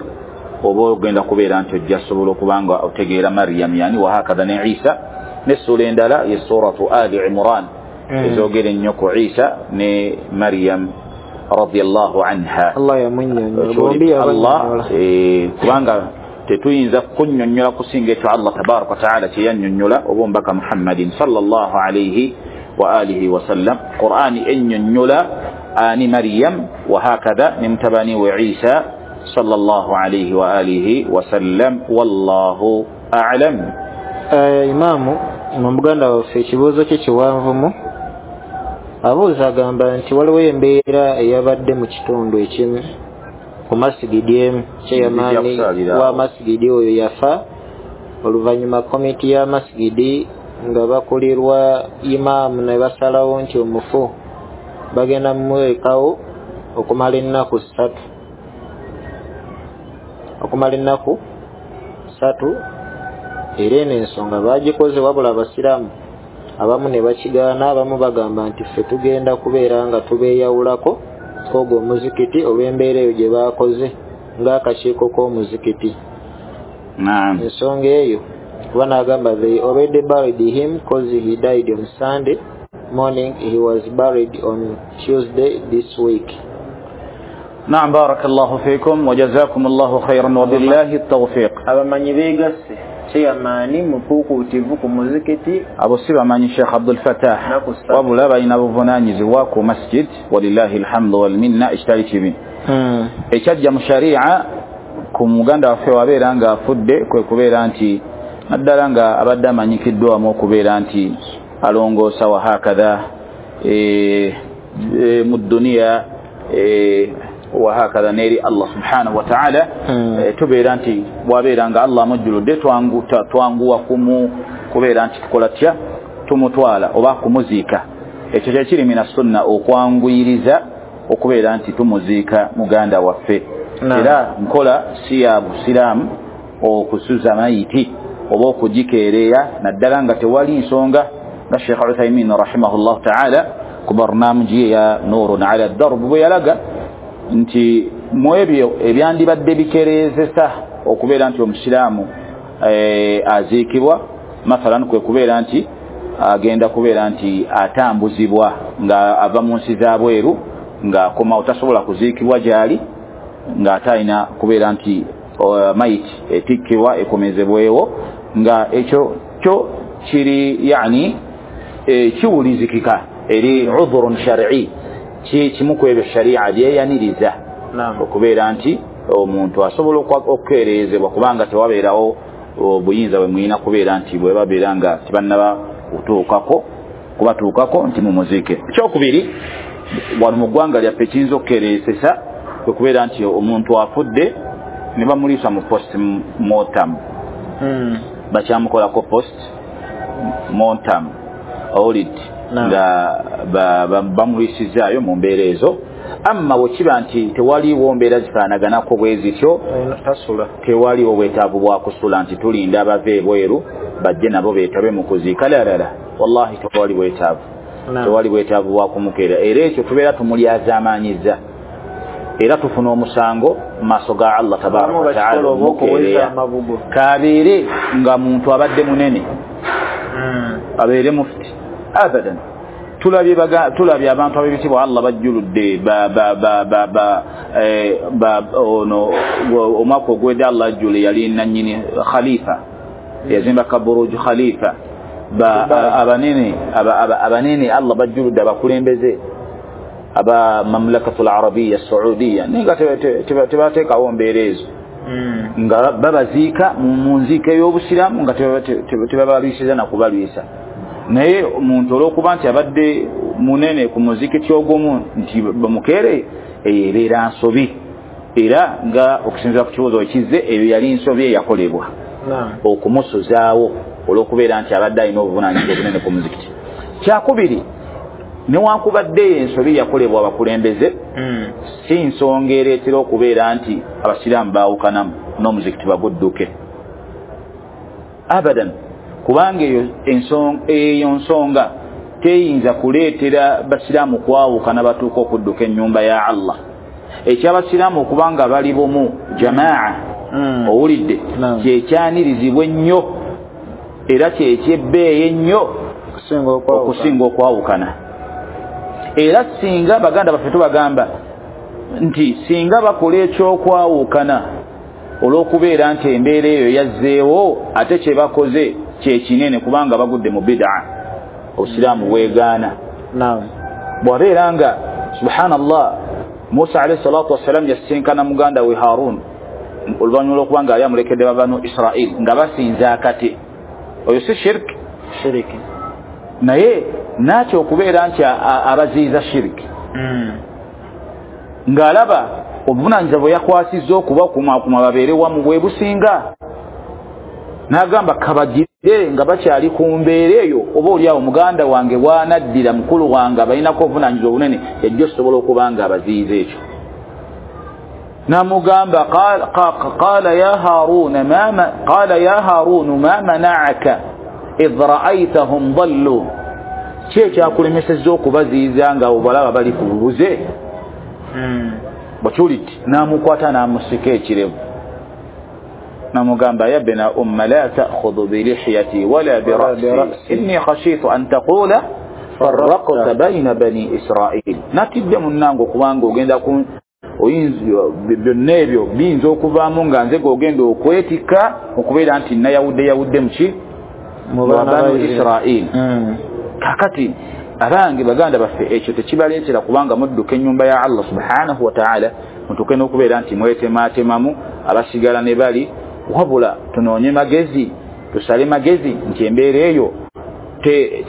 oba ogenda kubeera nti ojja sobola okubanga otegeera Mariam yani wahakadha ne Isa. N'essuula endala ye suratu Ali Imran ezogera ennyo ku Isa ne Mariam radiyallahu anha. Allah yamunnyonnyola, Allah kubanga tetuyinza kunnyonnyola kusinga ekyo Allah tabaraka wa taala kye yannyonnyola oba omubaka Muhammadin sallallahu alayhi wa alihi wa sallam. Qur'ani ennyonnyola ani Maryam wa hakadha ne mutabani we Isa sallallahu alayhi wa alihi wa sallam. Wallahu a'lam. Imamu muganda waffe ekibuuzo kye kiwanvumu. Abuuza agamba nti waliwo embeera eyabadde mu kitundu ekimu ku masigidi emu, chairman wa masigidi oyo yafa oluvannyuma komiti ya masigidi nga bakulirwa imaamu ne basalawo nti omufu bagenda mumwekawo okumala ennaku ssatu. Era eno ensonga bagikoze, wabula abasiraamu abamu ne bakigaana, abamu bagamba nti ffe tugenda kubeera nga tubeeyawulako ogwo omuzikiti olw'embeera eyo gye baakoze ng'akakiiko k'omuzikiti. Ensonga eyo kuba n'agamba they already buried him cause he died on Sunday morning, he was buried on Tuesday this week. Naam, barakallahu fikum wa jazakumullahu khairan wa billahi tawfiq. Abamanyi beegasse chairman mukukuutivu ku muzikiti abo si bamanyi Sheikh Abdul Fatah, wabula balina buvunaanyizibwa ku masjid, walillahi alhamdu wal minna. Ekitali kibi ekyajja mu sharia ku muganda waffe wabeera nga afudde kwe kubeera nti naddala nga abadde amanyikiddwamu okubeera nti alongoosa wa hakadha mu dduniya wahakadha neri Allah subhanahu wa ta'ala. Tubeera nti bwabeera nga Allah amujjuludde twanguwa kubeera nti tukola tya tumutwala oba kumuziika. Ekyo kyekiri mina sunna okwanguyiriza okubeera nti tumuziika muganda waffe. Era nkola si ya busiraamu okusuza mayiti oba okugikeereya, naddala nga tewali nsonga nga Sheikh Uthaymin rahimahullahu ta'ala ku barnaamiji ya Nurun ala Darb bwe yalaga nti mu ebyo ebyandibadde bikereezesa okubeera nti omusiraamu aziikibwa, mathalan kwe kubeera nti agenda kubeera nti atambuzibwa nga ava mu nsi zabweru ng'akomawo tasobola kuziikibwa gy'ali, ng'ate alina kubeera nti mayiti etikkibwa ekomezebwewo, nga ekyo kyo kiri yani kiwulizikika eri udhurun shar'i, kimu ku ebyo sharia byeyaniriza okubeera nti omuntu asobola okukeerezebwa kubanga tewabeerawo obuyinza bwe muyina kubeera nti bwe babeera nga tebannaba kubatuukako nti mumuziike. Ekyokubiri, wano mu ggwanga lyaffe kiyinza okukeerezesa Kwe kubeera nti omuntu afudde ne bamuliisa mu post mortem, bakyamukolako post mortem audit nga bamuliisizaayo mu mbeera ezo. Amma bwe kiba nti tewaliwo mbeera zifaanaganako bwe zityo, tewaliwo bwetaavu bwa kusula nti tulinda abava ebweru bajje nabo beetabe mu kuziika. Lalala, wallahi tewali bwetaavu, tewali bwetaavu bwa kumukeera. Era ekyo tubeera tumulyazaamaanyiza, era tufuna omusango mu maaso ga Allah tabaraka wataala. Omukeereya kabeere nga muntu abadde munene, abeere mufti, abadan. Tulabye abantu ab'ebitiibwa Allah bajjuludde ono omwaka ogwedde Allah ajjule yali nannyini khalifa, yazimba kaburuj khalifa, abanene Allah bajjuludde, abakulembeze aba mamlakatu al-arabiya saudiya, naye nga tebateekawo mbeera ezo, nga babaziika mu nziika ey'obusiraamu nga tebabalwisiza na kubalwisa. Naye omuntu olw'okuba nti abadde munene ku muzikiti ogumu nti bamukeere, eyo ebeera nsobi. Era nga okusinziira ku kibuuzo ekizze, eyo yali nsobi eyakolebwa okumusuzaawo olw'okubeera nti abadde alina obuvunaanyizibwa obunene ku muzikiti. Kyakubiri, newankubadde eyo ensobi yakolebwa abakulembeze, si nsonga ereetera okubeera nti abasiraamu baawukanamu n'omuzikiti bagudduke, abadan, kubanga eyo nsonga teyinza kuleetera basiraamu kwawukana batuuka okudduka ennyumba ya Allah. Ekyabasiraamu okubanga bali bumu, jamaa, owulidde, kyekyanirizibwa ennyo era kyekyebbeeyi ennyo okusinga okwawukana. Era singa baganda baffe tubagamba nti singa bakola ekyokwawukana olw'okubeera nti embeera eyo yazzeewo, ate kye bakoze kyekinene, kubanga bagudde mu bid'a, obusiraamu bwegaana. Bw'abeera nga subhanallah, Musa alayhi salatu wassalam yasisinkana muganda we Harun oluvannyuma lw'okuba nga yali amulekedde babanu Israil nga basinza akate, oyo si shirki? Shiriki. Naye nakyo okubeera nti abaziyiza shiriki, ng'alaba obuvunaanyizibwa bwe yakwasizza okubakumaakuma babeere wamu bwe businga, n'agamba kabagire nga bakyali ku mbeera eyo, oba oliawo muganda wange bw'anaddira mukulu wange abalinako obuvunaanyizibwa obunene, yajja osobola okuba nga abaziyiza ekyo. N'amugamba qala ya Harunu ma mana'aka idh ra'aytahum dallu, ki ekyakulemesezza okubaziyiza nga obalaba bali ku bubuze? Bw'okiwulidde, n'amukwata n'amusika ekirevu n'amugamba ya bna umma la ta'khudhu bilihyati wala bira'si inni khashitu an taqula farraqta bayna bani Israil, natidde munnange okubanga ogenda ku oyinza byonna ebyo biyinza okuvaamu nga nze g'ogenda okwetikka okubeera nti nayawudde yawudde muki mu banu Israil. Kakati abange baganda baffe, ekyo tekibaleetera kubanga mudduka ennyumba ya Allah subhanahu wa ta'ala mutuuke n'okubeera nti mwetemaatemamu abasigala ne bali, wabula tunoonye magezi, tusale magezi nti embeera eyo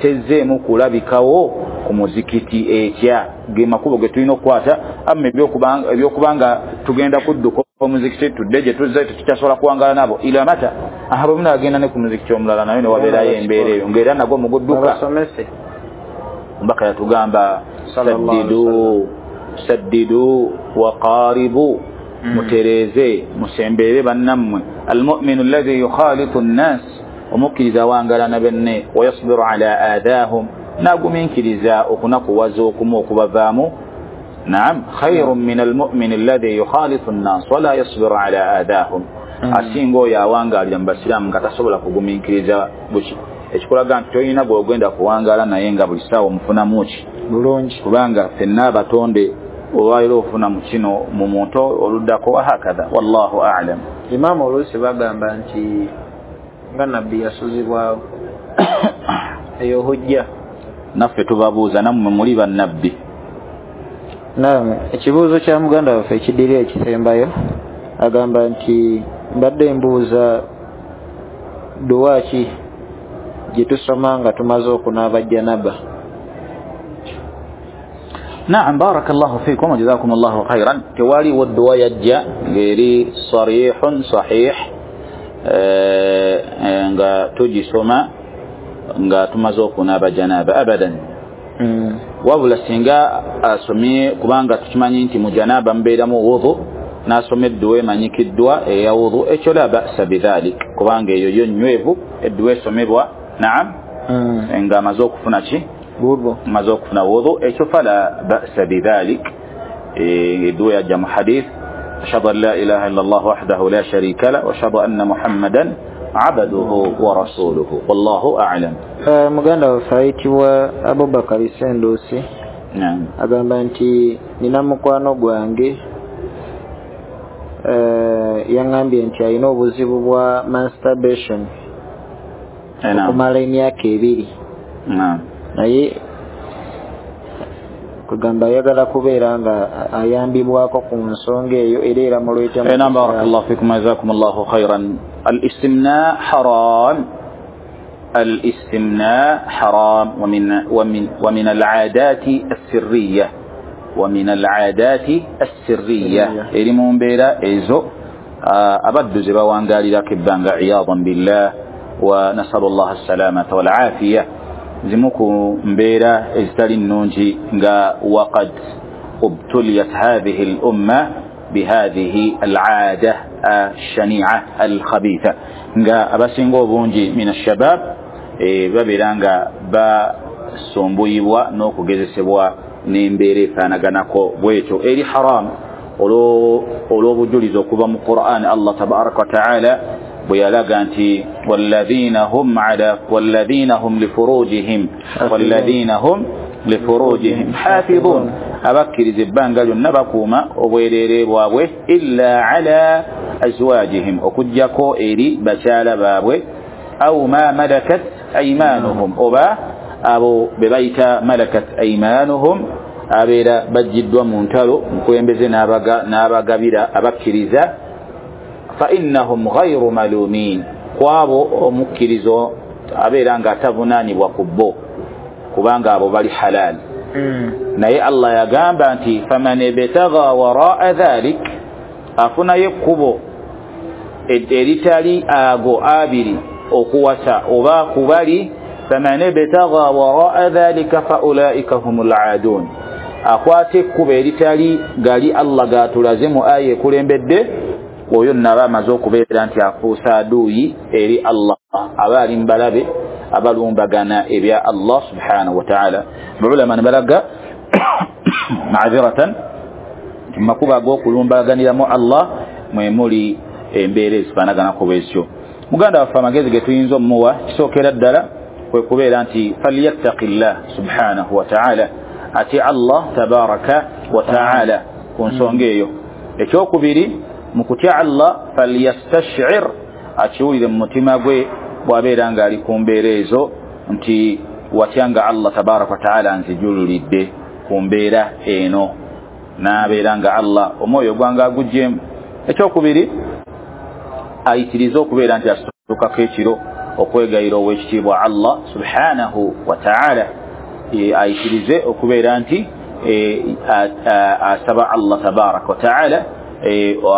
tezzeemu kulabikawo ku muzikiti etya, ge makubo ge tulina okukwata. Amma ebyokubanga tugenda kudduka omuzikiti tudde gye tuzze tetukyasobola kuwangala nabo ila mata, aha bwe munaagenda ne ku muzikiti omulala nayo ne wabeerayo embeera eyo ng'era nagwo mugudduka. Omubaka yatugamba saddidu waqaribu, mutereeze musembeere bannammwe. Almuminu alladhi yukhalitu nnas, omukkiriza awangala na benne, wayasbiru ala aadaahum, n'agumiikiriza okunakuwaza okumu okubavaamu. Naam, khairun min almumini alladhi yukhalitu nnas wala yasbiru ala aadaahum, asinga oyo awangaalira mu basiraamu nga tasobola kugumiikiriza buki. Ekikulaga nti toyina gw'ogenda kuwangaala naye nga buli ssaawa omufunamu ki bulungi, kubanga ffenna abatonde olwaliro ofuna mu kino mu muntu oluddako wahakadha, wallahu a'lam. Imaamu oluusi bagamba nti nga nabbi yasuzibwawo, eyo hujja. Naffe tubabuuza, nammwe muli bannabbi? Naam. Ekibuuzo kya muganda waffe ekiddiri ekisembayo agamba nti mbadde mbuuza duwa ki gye tusoma nga tumaze okunaaba janaba? Naam, barakallahu fikum wa jazakumullahu khairan. Tewaliwo dduwa yajja ng'eri sarihun sahih, nga tugisoma nga tumaze okunaaba janaaba abadan. Wabula singa asomye, kubanga tukimanyi nti mu janaaba mubeeramu wudhu, n'asoma edduwa emanyikiddwa eya wudhu, ekyo la ba'sa bidhalik, kubanga eyo yo nnywevu, edduwa esomebwa naam nga amaze okufuna ki, amaze okufuna wudhu, ekyo fala ba'sa bidhalik. Edduwa yajja mu hadith, ashhadu an la ilaha illa Allah wahdahu la sharika lah wa ashhadu anna Muhammadan abduhu wa rasuluhu, wallahu a'lam. Muganda waffe ayitibwa Abubakari Sendusi agamba nti nina mukwano gwange, yaŋŋambye nti alina obuzibu bwa masturbation okumala emyaka 2, naye kugamba ayagala kubeera nga ayambibwako ku nsonga eyo era eramuleeta. Naam, barakallahu fikum, jazakumullahu khairan. Al-istimna haram, al-istimna haram, wa min al-aadati as-sirriya, wa min al-aadati as-sirriya, eri mu mbeera ezo abaddu ze bawangalirako ebbanga, iyadan billah wa nasalu llah assalamata wal-afiya. Zimu ku mbeera ezitali nnungi nga waqad ubtuliyat hadhihi al-umma bihadhihi al-aada ash-shani'a al-khabitha, nga abasinga obungi min ash-shabab babeera nga basumbuyibwa n'okugezesebwa n'embeera efaanaganako bwetyo, eri haram olw'obujulizi okuva mu Qur'an. Allah tabaraka wa ta'ala bwe yalaga nti walladhina hum lifurujihim hafidhun, abakkiriza ebbanga lyonna bakuuma obwereere bwabwe, illa ala azwajihim, okuggyako eri bakyala baabwe, au ma malakat aymanuhum, oba abo be bayita malakat aymanuhum, abeera baggiddwa mu ntalo mukulembeze n'abagabira abakkiriza, fa innahum ghayru malumin, kwabo omukkirizo abeera nga atavunaanibwa ku bo, kubanga abo bali halal. Naye Allah yagamba nti faman ibtagha waraa dhalik, afunayo ekkubo eritali ago abiri okuwasa oba kubali, faman ibtagha waraa dhalika fa ulaika humul aadun, akwata ekkubo eritali gali Allah gatulaze mu aya ekulembedde, oyo naba amaze okubeera nti afuusa aduuyi eri Allah, aba ali mbalabe abalumbagana ebya Allah subhanahu wa ta'ala. Ulama ne balaga ma'aziratan makuba ag'okulumbaganiramu Allah mwe muli embeera ezifaanaganako bwezityo. Muganda waffe amagezi ge tuyinza omuwa kisookera ddala kwe kubeera nti falyattaqillah subhanahu wa ta'ala, ati Allah tabaraka wa ta'ala ku nsonga eyo. Ekyokubiri, mu kutya Allah falyastash'ir, akiwulire mu mutima gwe bw'abeera ng'ali ku mbeera ezo nti watya nga Allah tabaraka wa ta'ala nzijululidde ku mbeera eno, n'abeera nga Allah omwoyo gwange aguggyemu. Ekyokubiri, ayitirize okubeera nti asitukako ekiro okwegayira ow'ekitiibwa Allah subhanahu wa ta'ala, ayitirize okubeera nti asaba Allah tabaraka wa ta'ala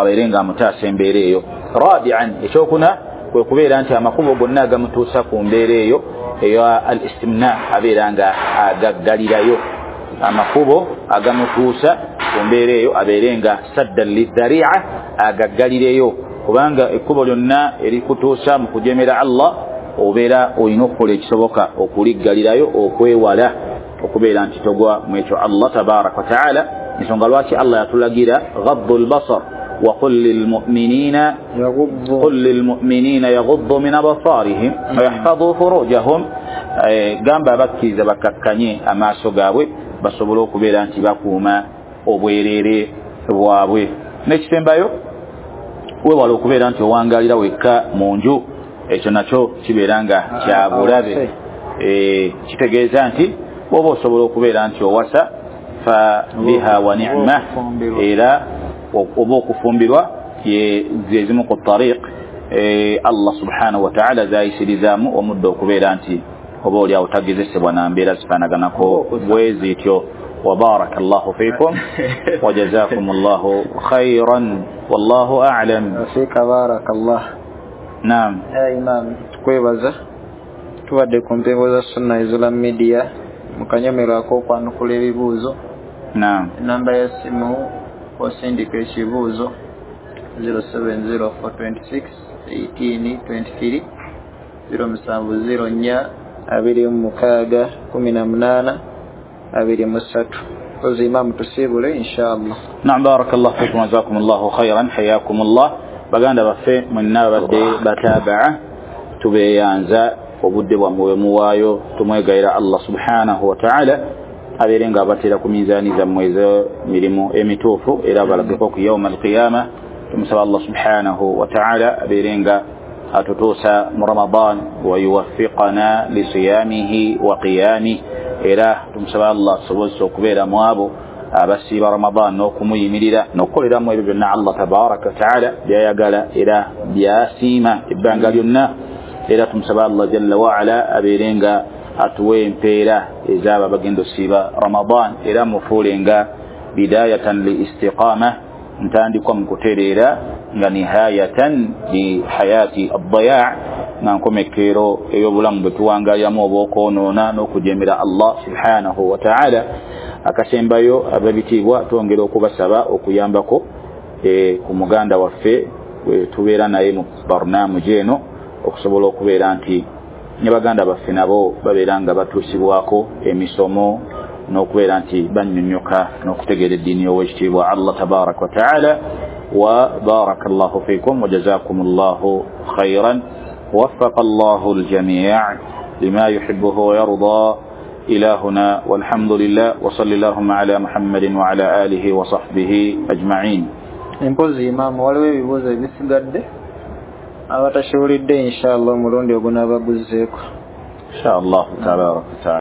abeere nga amutaasa embeera eyo. Rabi'an, ekyokuna kwe kubeera nti amakubo gonna agamutuusa ku mbeera eyo eya al-istimna abeera nga agaggalirayo, amakubo agamutuusa ku mbeera eyo abeere nga saddan lidhari'a, agaggalireyo, kubanga ekkubo lyonna erikutuusa mu kujemera Allah obeera olina okukola ekisoboka okuliggalirayo, okwewala okubeera nti togwa mu ekyo Allah tabaraka wa ta'ala. Ensonga lwaki Allah yatulagira ghaddu al-basar wa qul lilmu'minina yaghuddu min absarihim wa yahfadhu furujahum, gamba abakkiriza bakakkanye amaaso gaabwe basobole okubeera nti bakuuma obwereere bwabwe. N'ekisembayo, weewala okubeera nti owangalira wekka mu nju, ekyo nakyo kibeera nga kya bulabe. Kitegeeza nti bw'oba osobola okubeera nti owasa fa biha wa ni'ma, era oba okufumbirwa ze zimu ku tariq Allah subhanahu wa ta'ala zayisirizaamu omuddo okubeera nti oba oli awo tagezesebwa na mbeera zifaanaganako bwe zityo. وبارك الله فيكم وجزاكم الله خيرا والله أعلم. فيك بارك الله. نعم يا إمام tukwebaza tubadde ku mpewo za Sunna Islam Media mukanyomero ak'okwanukula ebibuuzo. Naam. Enamba ya simu osindika ekibuuzo 0704 26 18 23 0704 26 18 23. Kozi Imam tusiibule inshallah. Naam, barakallahu fikum wa jazakumullahu khairan, hayakumullah. Baganda baffe mwenna babadde batabaa tubeeyanza obudde bwammwe muwaayo, tumwegayira Allah subhanahu wa ta'ala abeere nga abateera ku minzaani zammwe ez'emirimu emituufu era abalageko ku yauma alqiyama. Tumusaba Allah subhanahu wa ta'ala abeere nga atutuusa mu Ramadan wa yuwaffiqana lisiyamihi wa qiyamihi, era tumusaba Allah tusobozese okubeera mu abo abasiiba Ramadan n'okumuyimirira n'okukoleramu ebyo byonna Allah tabaraka wa ta'ala byayagala era byasiima ebbanga lyonna. Era tumusaba Allah jalla wa ala abeere nga atuwe empeera ez'abo abagenda osiiba Ramadan, era mufuule nga bidayatan li istiqama, ntandikwa mu kutereera, nga nihayatan li hayati ad-daya, nga nkomekero ey'obulamu bwe tuwangaliramu obw'okwonoona n'okujemera Allah subhanahu wa ta'ala. Akasembayo ababitiibwa twongera okubasaba okuyambako ku muganda waffe bwe tubeera naye mu barnamuji eno, okusobola okubeera nti ne baganda baffe nabo babeera nga batuusibwako emisomo n'okubeera nti bannyonnyoka n'okutegeera eddiini y'owekitiibwa Allah tabaraka wa ta'ala. Wa barakallahu fikum wa jazakumullahu khairan, وفق الله الجميع لما يحبه ويرضى. إلى هنا والحمد لله، وصلى اللهم على محمد وعلى آله وصحبه أجمعين. Empozi Imam waliwo ebibuuzo ebisigadde abatashiwulidde inshallah omulundi ogunaaba guzzeeko inshallah tabaraka wa ta'ala.